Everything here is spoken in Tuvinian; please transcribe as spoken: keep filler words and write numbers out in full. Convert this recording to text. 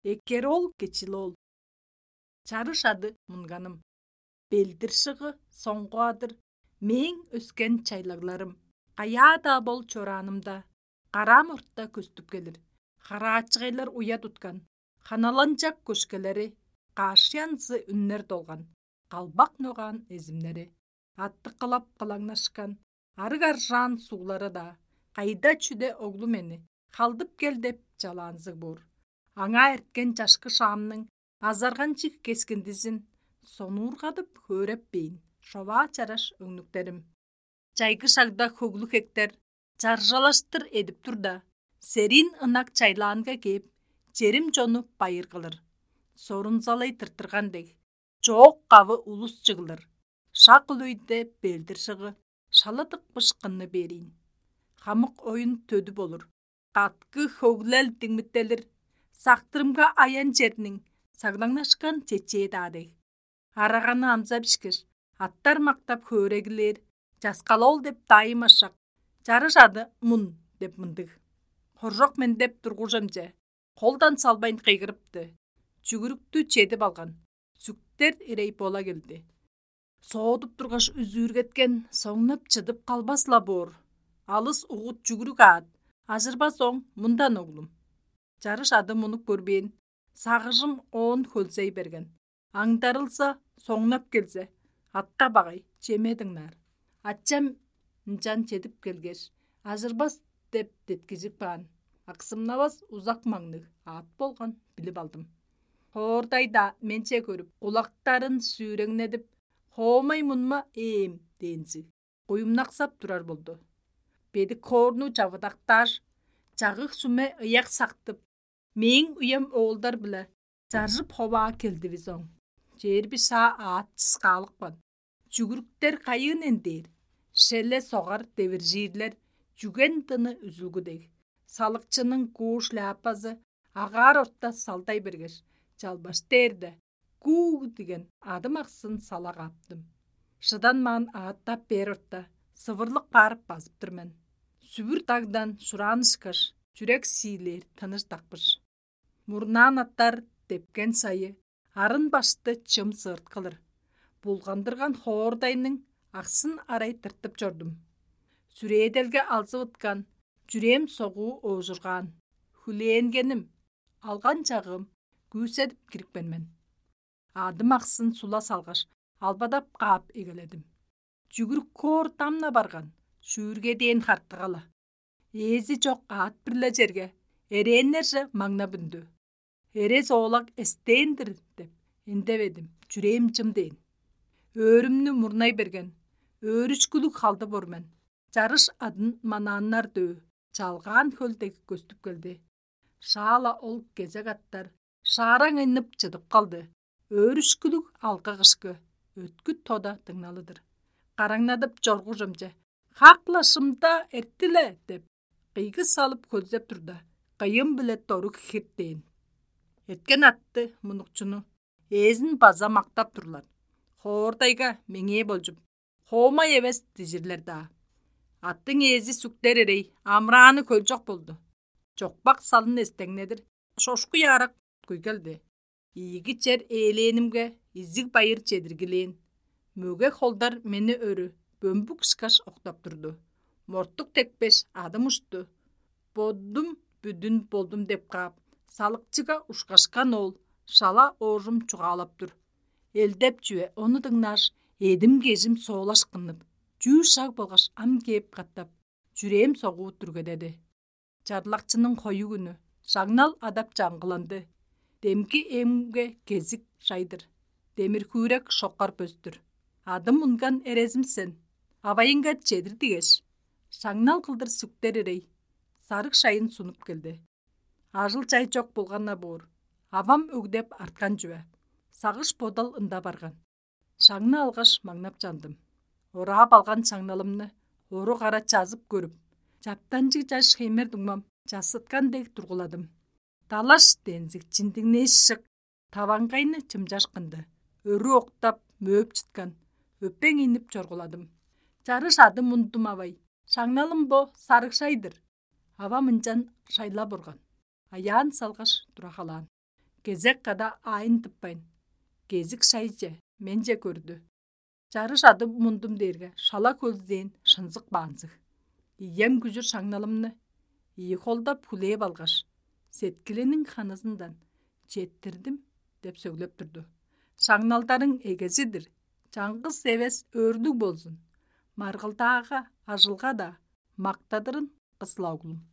Эккер-оол Кечил-оол. Чарыш ады мунганым. Белдир шыгы соңгуадыр мээң өскен чайлагларым. Каяа-даа бол чораанымда, караам орта көстүп келир. Хараачыгайлар уя туткан, ханаланчак көшкелери, каашыянзы үннер долган, калбак ногаан эзимнери, аттыкылап кылаңнашкан арыг аржаан суглары-даа, кайда чүде оглу мени, халдып кел деп чалаанзыг боор. Аңаа эрткен чашкы шаамның азарганчыг кескиндизин сонуургадып хөөреппейн, шоваа чараш өңнүктерим. Чайгы шагда хөглүг хектер чаржалаштыр эдип турда, сериин ынак чайлаанга кээп, черим чону байыр кылыр. Сорунзалай тыртырган дег, чоок кавы улус чыглыр. Шак ол өйде белдир шыгы шала тыкпыш кынны бериин. Хамык оюн төдү болур. Каткы хөглел диңмиттелир. Сактырымга аян черниң саглаңнашкан чечээ-даа дег. Араганы амза бишкеш, аттар мактап хөөрегилээр, часкалол деп дайым ашак. Чарыш ады мун деп мындыг. Хоржок мен деп тургужамче, холдан салбайн кыйгырыпты. Чүгүрүктү чедип алган. Сүктер ирей бола келди. Соодуп тургаш үзүүргеткен, соңнап чыдып калбас-ла боор. Алыс угут чүгүрүк аат, ажырбас оң мындан оглум. Чарыш ады мунуп көрбээн, сагыжым оон хөлзей берген. Аңдарылза, соңнап келзе, атка багай, чеме дыңнаар. Ачам ынчан чедип келгеш, ажырбас деп деткижип каан. Аксымнавас узак маңныг аът болган билип алдым. Хоордай-даа менче көрүп, кулактарын сүүреңнедип, хоомай мунма ээм дээнзиг, куюмнаксап турар болду. Бедик хоорну чавыдактааш, чагыг сүме ыяк сактып, мээң уям оолдар-биле чаржып ховаа келдивис оң. Чээрби шаа аът чыскаалыпкан. Чүгүрүктер кайыын эндээр, шеле согар девиржиирлер чүген дыны үзүлгү дег. Салыкчының куу шляпазы агаар орта салдай бергеш, чалбаш дээрде, «Гуу» диген адым аксын сала кааптым. Шыданмаан ааттап бээр орта, сывырлык барып базыптыр мен. Сүвүр дагдан шураан ышкаш, чүрек сиилээр тыныш дакпыш. Мурнаан аттар депкен сайы, арын башты чым сыырт кылыр. Булгандырган хоордайның аксын арай тыртып чордум. Сүрээделге алзывыткан, чүрээм согуу оожургаан. Хүлээнгеним, алган чагыым күүседип кирипкен мен. Адым аксын сула салгаш, албадап каап эгеледим. Чүгүрүк хоор дамна барган, шүүрге дээн хартыгала. Ээзи чок аът-биле черге, эрээннерже маңнап үндү. Эрес оолак эстээн-дир деп эндеведим, чүрээм чым дээн. Өөрүмнү мурнай берген, өөрүшкүлүг халды бор мен. Чарыш адын манааннар дөө, чалгаан хөл дег көстүп келди. Шаала ол кезек аттар шаараң ыннып чыдып калды. Өөрүшкүлүг алгы-кышкы, өткүт тода дыңналыдыр. Караңнадып чоргужумче: «Хак-ла шымда эртиле!» — деп, кыйгы салып хөлзеп турда, кыйым-биле доруг хирттээн. Эрткен атты, мунукчуну, ээзин база мактап турлар. Хоордайга меңээ болчуп, хоомай эвес дижирлер-даа. Аттың ээзи сүктер ирей, амырааны хөлчок болду. Чокпак салын эстеңнедир, шошку ярак куй келди. Ийиги чер ээлээнимге, изиг байыр чедиргилээн. Мөге холдар мени өрү бөмбүк ышкаш октап турду. Мортук текпеш, адым ушту. Бодум бүдүн болдум деп каап, салыкчыга ушкашкан ол шала оожум чугаалап тур. Элдеп чүве ону дыңнааш, эдим-кежим соолашкыннып, чүү шаг болгаш ам кээп катап, чүрээм согуу дүргедеди. Чарлакчының хою күнү, шаңнал адап чаңгыланды. Демги эмге кезик шай-дыр, демир-хүүрек шокар пөстүр. Адым унган эрезим сен, авайынга чедир дигеш, шаңнал кылдыр сүктер ирей, сарыг шайын сунуп келди. Ажыл-чай чок болган-на боор, авам өгдеп арткан чүве. Сагыш-бодал ында барган. Шаңны алгаш, маңнап чандым. Ораап алган шаңналымны орук ара чазып көрүп, чаптанчыг чаш хеймер дуңмам чассыткан дег тургуладым. Далаш дензиг чиндиңнээш шык, таваңгайны чымчашкынды, өрү октап, мөөп чыткан, өпең ийнип чоргуладым. Чарыш адым ундум авай, шаңналым бо сарыг шай-дыр. Авам ынчан шайлап орган. Аяан салгаш, тура халаан. кезек када аайын тыппайн, кезик шайже менче көрдү. Чарыш адым мундум дээрге шала хөлзээн шынзык баанзыг. Ием күжүр шаңналымны ийи холдап хүлээп алгаш, сеткилиниң ханызындан «Четтирдим» деп сөглеп турду. «Шаңналдарың эгези-дир, чаңгыс эвес өөрлүг болзун. Маргылдаага, ажылга-даа мактадырын, кысла оглум».